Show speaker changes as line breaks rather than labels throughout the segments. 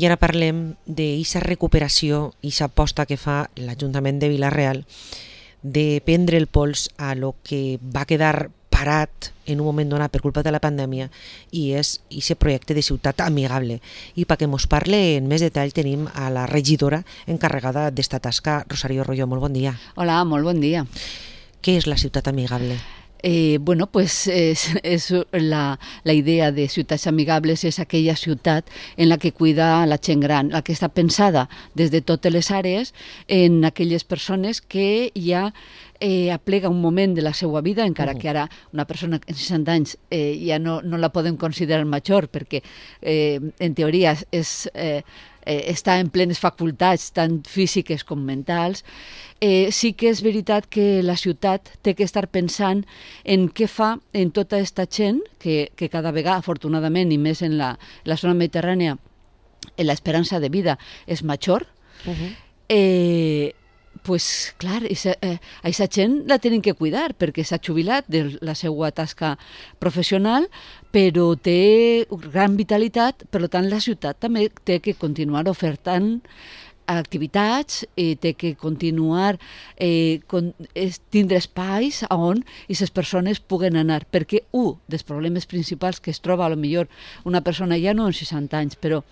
I ara parlem d'aquesta recuperació i aquesta aposta que fa l'Ajuntament de Vila-real de prendre el pols a lo que va quedar parat en un moment donat per culpa de la pandèmia, i és aquest projecte de ciutat amigable. I perquè ens parle en més detall tenim a la regidora encarregada d'esta tasca, Rosario Royo. Molt bon dia.
Hola, molt bon dia.
Què és la ciutat amigable?
Bueno, pues es la idea de ciutats amigables és aquella ciutat en la que cuida la gent gran, la que està pensada des de totes les àrees en aquelles persones que ja aplega un moment de la seva vida, encara que ara una persona en 60 anys ja no la podem considerar major, perquè en teoria està en plenes facultats, tant físiques com mentals. Sí que és veritat que la ciutat té que estar pensant en què fa en tota aquesta gent que cada vegada, afortunadament, i més en la zona mediterrània, l'esperança de vida és major. Pues clar, aquesta gent la tenen que cuidar perquè s'ha jubilat de la seva tasca professional, però té gran vitalitat, per tant la ciutat també té que continuar ofertant activitats, té que continuar tindre espais on aquestes persones puguen anar, perquè un dels problemes principals que es troba a lo millor una persona ja no en 60 anys, però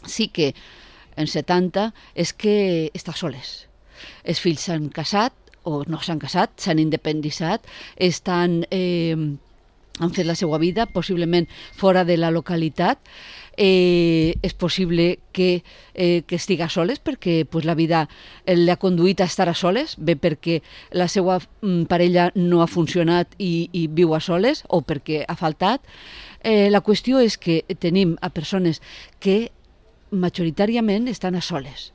sí que en 70, és que està soles. Els fills s'han casat o no s'han casat, s'han independitzat, han fet la seva vida, possiblement fora de la localitat. És possible que estiga soles perquè la vida l'ha conduït a estar a soles, bé perquè la seva parella no ha funcionat i viu a soles o perquè ha faltat. La qüestió és que tenim a persones que majoritàriament estan a soles.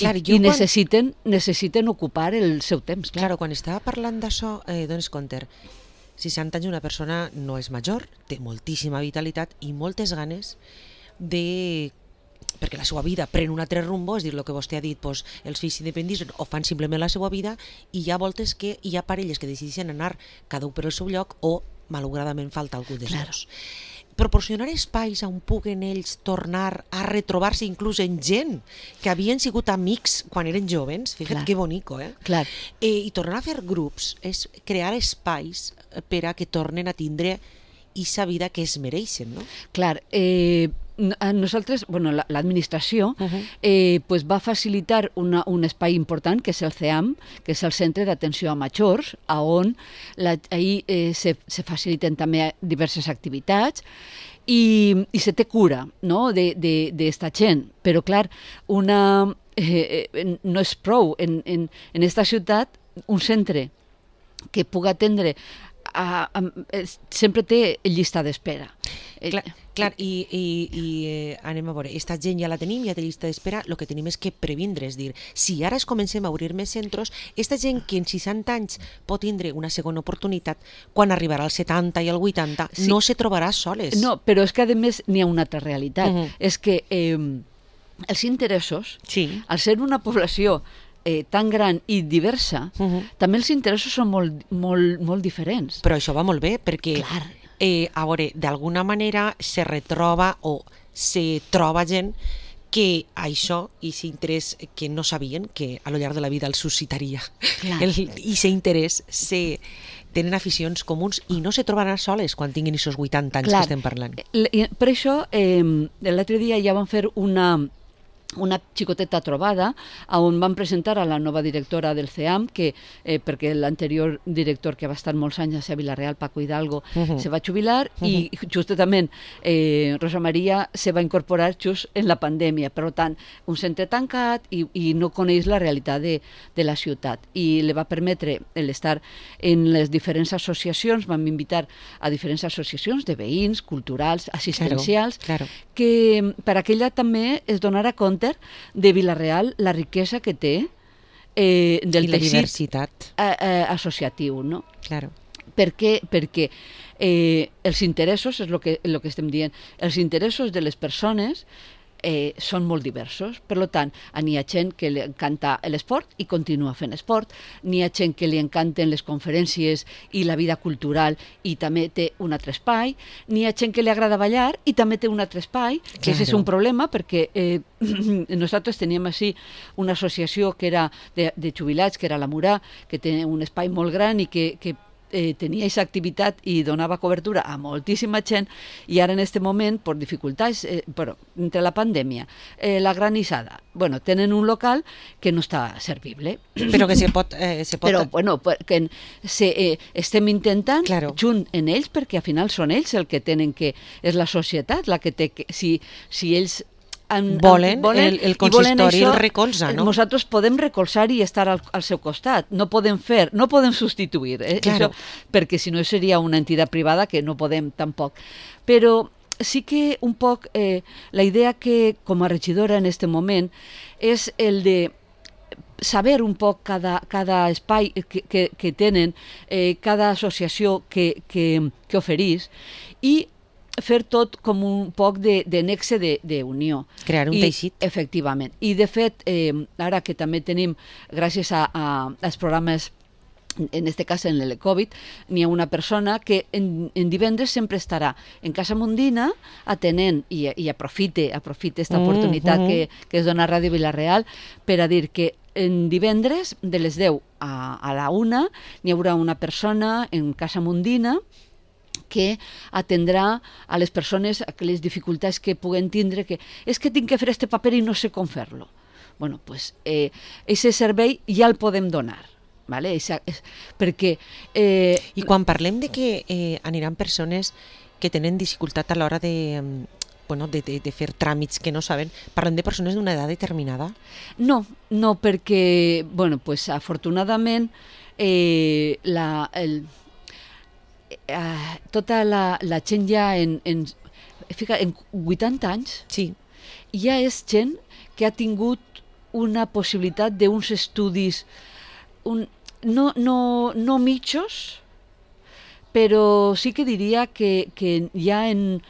Clar, i necessiten ocupar el seu temps.
Clar, quan estava parlant d'això, dones compte, 60 anys una persona no és major, té moltíssima vitalitat i moltes ganes perquè la seva vida pren un altre rumbo, és dir, el que vostè ha dit, els fills s'independitzen o fan simplement la seva vida, i hi ha voltes que hi ha parelles que decideixen anar cada un per el seu lloc o malauradament falta algú dels dos. Proporcionar espais on puguen ells tornar a retrobar-se inclús en gent que havien sigut amics quan eren jovens, fíjate que bonico,
Clar.
I tornar a fer grups és crear espais per a que tornen a tindre aquesta vida que es mereixen, no?
Clar, nosaltres, l'administració va facilitar un espai important que és el CEAM, que és el Centre d'Atenció a Majors, on ahir se faciliten també diverses activitats i se té cura, no?, d'esta gent. Però, clar, no és prou en aquesta ciutat un centre que pugui atendre sempre té llista d'espera.
Clar, i anem a veure, aquesta gent ja la tenim, ja té llista d'espera, el que tenim és que previndre, és dir, si ara es comencem a obrir més centres, aquesta gent que en 60 anys pot tindre una segona oportunitat, quan arribarà als 70 i al 80, no se trobarà soles.
No, però és que a més n'hi ha una altra realitat, és que els interessos, al ser una població tan gran i diversa, també els interessos són molt diferents.
Però això va molt bé, perquè a veure, d'alguna manera se retroba o se troba gent que això, i aquest interès que no sabien que a lo llarg de la vida els suscitaria, i aquest interès tenen aficions comuns i no se trobaran soles quan tinguin aquests 80 anys que estem parlant.
Per això, l'altre dia ja vam fer una xicoteta trobada on van presentar a la nova directora del CEAM, perquè l'anterior director, que va estar molts anys a Vila-real, Paco Hidalgo, se va jubilar i justament Rosa Maria se va incorporar just en la pandèmia. Per tant, un centre tancat i no coneix la realitat de la ciutat, i li va permetre l'estar en les diferents associacions. Vam invitar a diferents associacions de veïns, culturals, assistencials, que per a que ella també es donara compte de Vila-real la riquesa que té del teixit associatiu, no? Perquè els interessos, és el que estem dient, els interessos de les persones són molt diversos. Per tant, n'hi ha gent que li encanta l'esport i continua fent esport, n'hi ha gent que li encanten les conferències i la vida cultural i també té un altre espai, n'hi ha gent que li agrada ballar i també té un altre espai, que és un problema perquè nosaltres teníem així una associació que era de jubilats, que era la Murà, que té un espai molt gran i que tenia aquesta activitat i donava cobertura a moltíssima gent, i ara en aquest moment, per dificultats, entre la pandèmia, la granissada, tenen un local que no està servible.
Però que se pot...
Però, que estem intentant, junt en ells, perquè al final són ells el que tenen que... És la societat la que té que... Si ells
volen el consistori el recolza, no?
Nosaltres podem recolzar i estar al seu costat, no podem substituir,
claro.
Això, perquè si no seria una entitat privada que no podem tampoc. Però sí que un poc la idea que com a regidora en aquest moment és el de saber un poc cada espai que tenen, cada associació que oferís, i fer tot com un poc de nexe d'unió.
Crear un teixit.
Efectivament. I de fet, ara que també tenim, gràcies als programes, en aquest cas en l'Elecovid, n'hi ha una persona que en divendres sempre estarà en Casa Mundina atenent i aprofite aquesta oportunitat que es dona a Ràdio Vila-real per a dir que en divendres de les 10 a la 1 n'hi haurà una persona en Casa Mundina que atendrà a les persones aquelles dificultats que puguen tindre, que és que tinc que fer aquest paper i no sé com fer-lo. Doncs aquest servei ja el podem donar. ¿Vale? Perquè...
I quan parlem de que aniran persones que tenen dificultat a l'hora de fer tràmits que no saben, parlem de persones d'una edat determinada?
No, perquè, afortunadament, tota la gent ja en 80 anys ja és gent que ha tingut una possibilitat d'uns estudis no mitjos, però sí que diria que ja en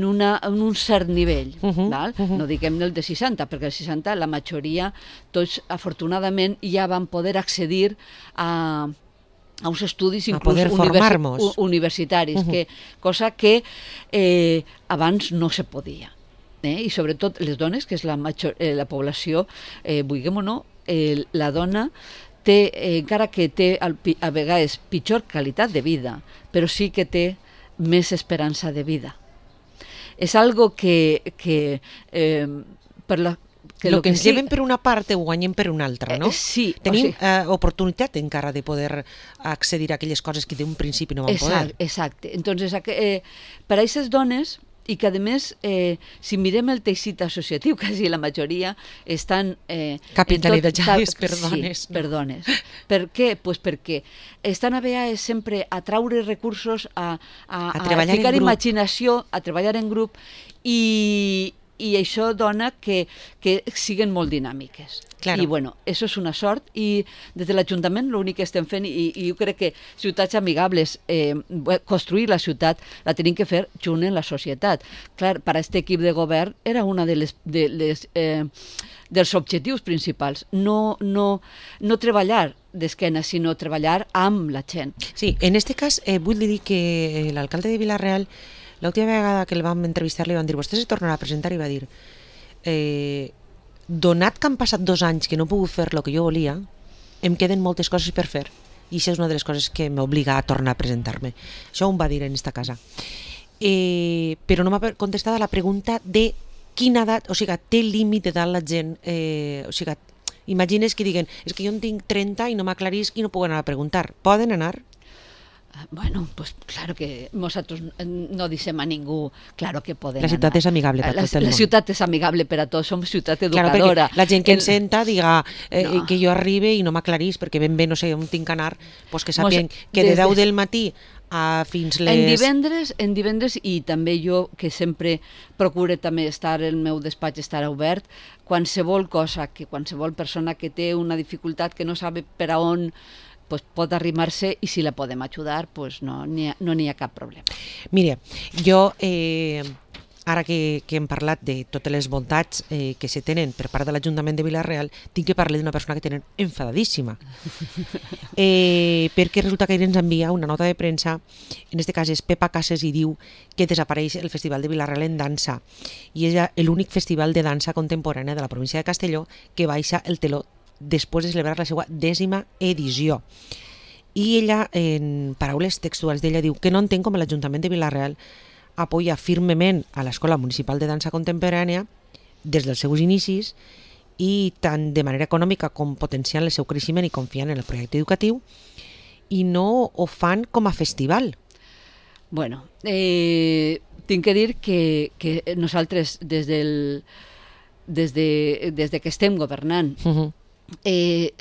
un cert nivell. No diguem el de 60, perquè el 60 la majoria, tots afortunadament ja van poder accedir a uns estudis inclús universitaris, cosa que abans no se podia. I sobretot les dones, que és la població, vulguem o no, la dona té, encara que té a vegades pitjor qualitat de vida, però sí que té més esperança de vida. És algo que per la...
El que ens lleven per una part ho guanyem per una altra, no?
Sí.
Tenim oportunitat encara de poder accedir a aquelles coses que d'un principi no vam poder.
Exacte. Entonces, per a aquestes dones, i que a més, si mirem el teixit associatiu, quasi la majoria estan...
capitalitzades per dones.
Sí, per dones. Per què? Perquè estan a vegades sempre a traure recursos, a ficar imaginació, a treballar en grup, i això dona que siguen molt dinàmiques.
Claro.
I això és una sort, i des de l'Ajuntament l'únic que estem fent, i jo crec que ciutats amigables, construir la ciutat la tenim que fer junt en la societat. Clar, per a aquest equip de govern era una dels objectius principals, no treballar d'esquena, sinó treballar amb la gent.
Sí, en aquest cas vull dir que l'alcalde de Vila-real, l'última vegada que el vam entrevistar li van dir vostè se tornarà a presentar, i va dir donat que han passat 2 anys que no he pogut fer el que jo volia, em queden moltes coses per fer, i això és una de les coses que m'obliga a tornar a presentar-me. Això ho va dir en esta casa. Però no m'ha contestat a la pregunta de quina edat, o sigui, té límit d'edat la gent, o sigui, imagines que diguen, és que jo en tinc 30 i no m'aclarisc i no puc anar a preguntar. Poden anar?
Pues claro que nosotros no dicem a ningú, claro que podem
anar. La ciutat és amigable per tot el món.
La ciutat és amigable per a tots, som ciutat educadora.
Claro, la gent que ens senta diga que jo arribe i no m'aclarís perquè ben bé no sé on tinc que anar, pues que sàpien que de 10 del matí a fins les...
En divendres, i també jo, que sempre procuro també estar, el meu despatx estarà obert, qualsevol cosa, que qualsevol persona que té una dificultat que no sabe per a on, pues pot arrimar-se, i si la podem ajudar, pues no n'hi ha cap problema.
Mira, jo ara que hem parlat de totes les bondats que se tenen per part de l'Ajuntament de Vila-real, tinc que parlar d'una persona que tenen enfadadíssima. Perquè resulta que ens envia una nota de premsa, en aquest cas és Pepa Cases, i diu que desapareix el Festival de Vila-real en dansa, i és l'únic festival de dansa contemporània de la província de Castelló que baixa el teló després de celebrar la seva 10ª edició. I ella, en paraules textuals d'ella, diu que no entén com l'Ajuntament de Vila-real apoya firmement a l'Escola Municipal de Dansa Contemporània des dels seus inicis, i tant de manera econòmica com potenciant el seu creixement i confiant en el projecte educatiu, i no ho fan com a festival.
Bueno, tinc que dir que nosaltres des que estem governant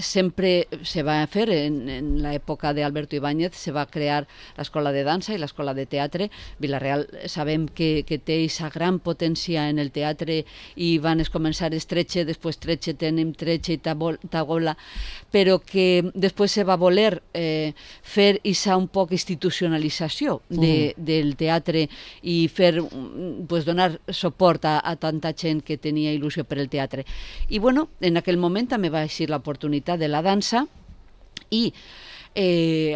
sempre se va fer, en l'època d'Alberto Ibáñez se va crear l'escola de dansa i l'escola de teatre. Vila-real sabem que té aquesta gran potència en el teatre i van començar estretxe, després tretxe, tenim tretxe i tagola, però que després se va voler fer aquesta un poc institucionalització del teatre i fer, donar suport a tanta gent que tenia il·lusió per el teatre. I bueno, en aquell moment també va existir l'oportunitat de la dansa, i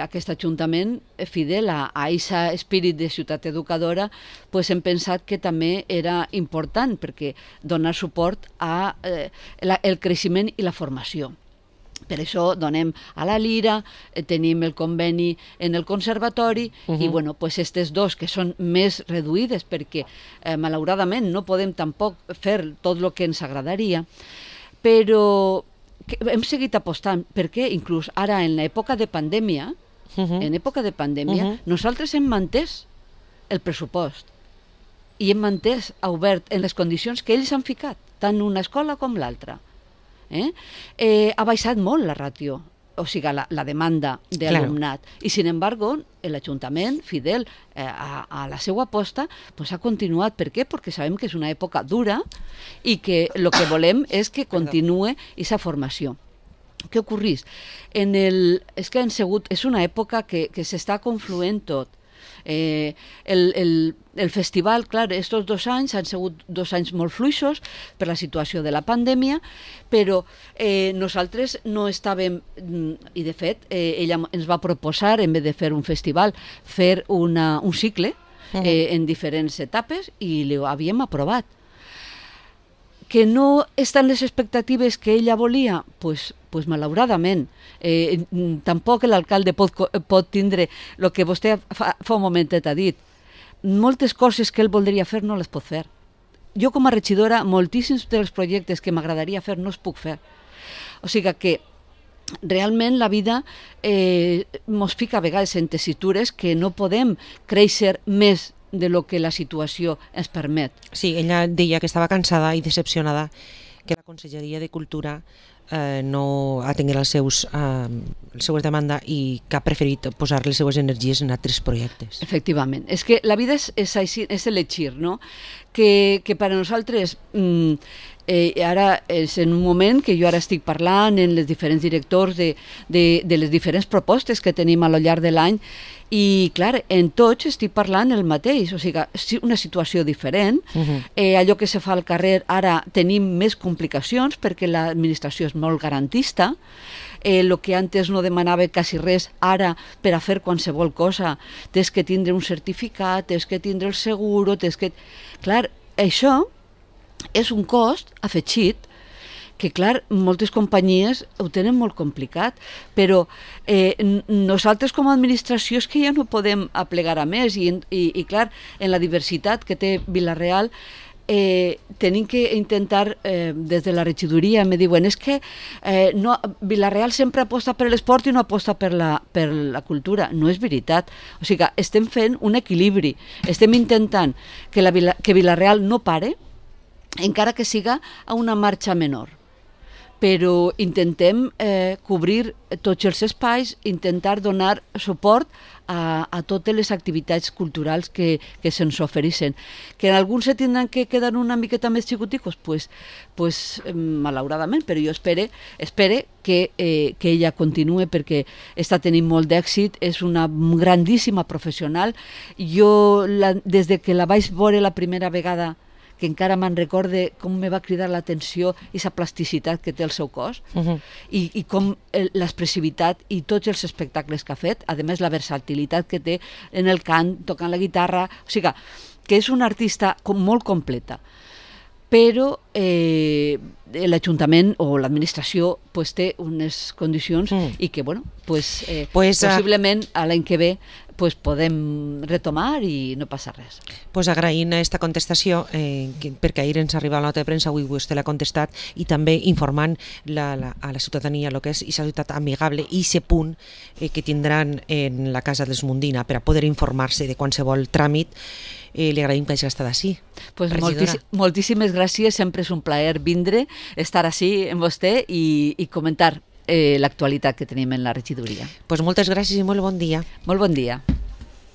aquest Ajuntament, fidel a aquest espírit de ciutat educadora, hem pensat que també era important, perquè donar suport al creixement i la formació. Per això donem a la Lira, tenim el conveni en el conservatori, i bueno, aquestes dos que són més reduïdes, perquè malauradament no podem tampoc fer tot el que ens agradaria, però hem seguit apostant, perquè inclús ara en l'època de pandèmia, nosaltres hem mantès el pressupost i hem mantès obert en les condicions que ells han ficat, tant una escola com l'altra. Ha baixat molt la ràtio, o sigui, la demanda d'alumnat, i sin embargo l'Ajuntament, fidel a la seva aposta, ha continuat. Per què? Perquè sabem que és una època dura i que el que volem és que continuï aquesta formació. Què ocorreix? És que és una època que s'està confluent tot. El festival, clar, estos 2 anys han sigut 2 anys molt fluixos per la situació de la pandèmia, però nosaltres no estàvem, i de fet ella ens va proposar, en vez de fer un festival, fer un cicle en diferents etapes, i l'havíem aprovat. Que no estan les expectatives que ella volia? Pues malauradament. Tampoc l'alcalde pot tindre el que vostè fa un momentet ha dit. Moltes coses que ell voldria fer no les pot fer. Jo com a regidora, moltíssims dels projectes que m'agradaria fer no els puc fer. O sigui que realment la vida mos fica a vegades en tessitures que no podem créixer més de lo que la situació ens permet.
Sí, ella deia que estava cansada i decepcionada que la Conselleria de Cultura no atengués les seues demandes i que ha preferit posar les seues energies en altres projectes.
Efectivament. És que la vida és així, és elegir, no? Que per a nosaltres ara és en un moment que jo ara estic parlant en els diferents directors de les diferents propostes que tenim a lo llarg de l'any, i clar, en tots estic parlant el mateix, o sigui, una situació diferent. Allò que se fa al carrer ara tenim més complicacions perquè l'administració és molt garantista. El que antes no demanava quasi res, ara per a fer qualsevol cosa tens que tindre un certificat, tens que tindre el seguro, Clar, això és un cost afegit que, clar, moltes companyies ho tenen molt complicat, però nosaltres com a administració és que ja no podem aplegar a més, i clar, en la diversitat que té Vila-real tenim que intentar, des de la regidoria me diuen, és que Vila-real sempre aposta per l'esport i no aposta per la cultura. No és veritat. O sigui, estem fent un equilibri, estem intentant que Vila-real no pare, encara que siga a una marxa menor, però intentem cobrir tots els espais, intentar donar suport a totes les activitats culturals que se'ns ofereixen. Que en alguns se tindran que quedar una miqueta més xicoticos, pues malauradament, però jo espere que ella continue perquè està tenint molt d'èxit, és una grandíssima professional. Jo, des de que la vaig veure la primera vegada, que encara me'n recorde com me va cridar l'atenció i la plasticitat que té el seu cos, i com l'expressivitat i tots els espectacles que ha fet, a més la versatilitat que té en el cant, tocant la guitarra, o sigui que és una artista molt completa. Però l'Ajuntament o l'administració té unes condicions i que, possiblement l'any que ve podem retomar i no passa res.
Agraint aquesta contestació, perquè ahir ens arriba la nota de premsa, avui vostè l'ha contestat, i també informant a la ciutadania el que és aquesta ciutat amigable i aquest punt que tindran en la Casa dels Mundina per a poder informar-se de qualsevol tràmit. Li agraïm que hagi estat així.
Moltíssimes gràcies, sempre és un plaer vindre, estar així amb vostè i comentar l'actualitat que tenim en la regidoria.
Moltes gràcies i molt bon dia.
Molt bon dia.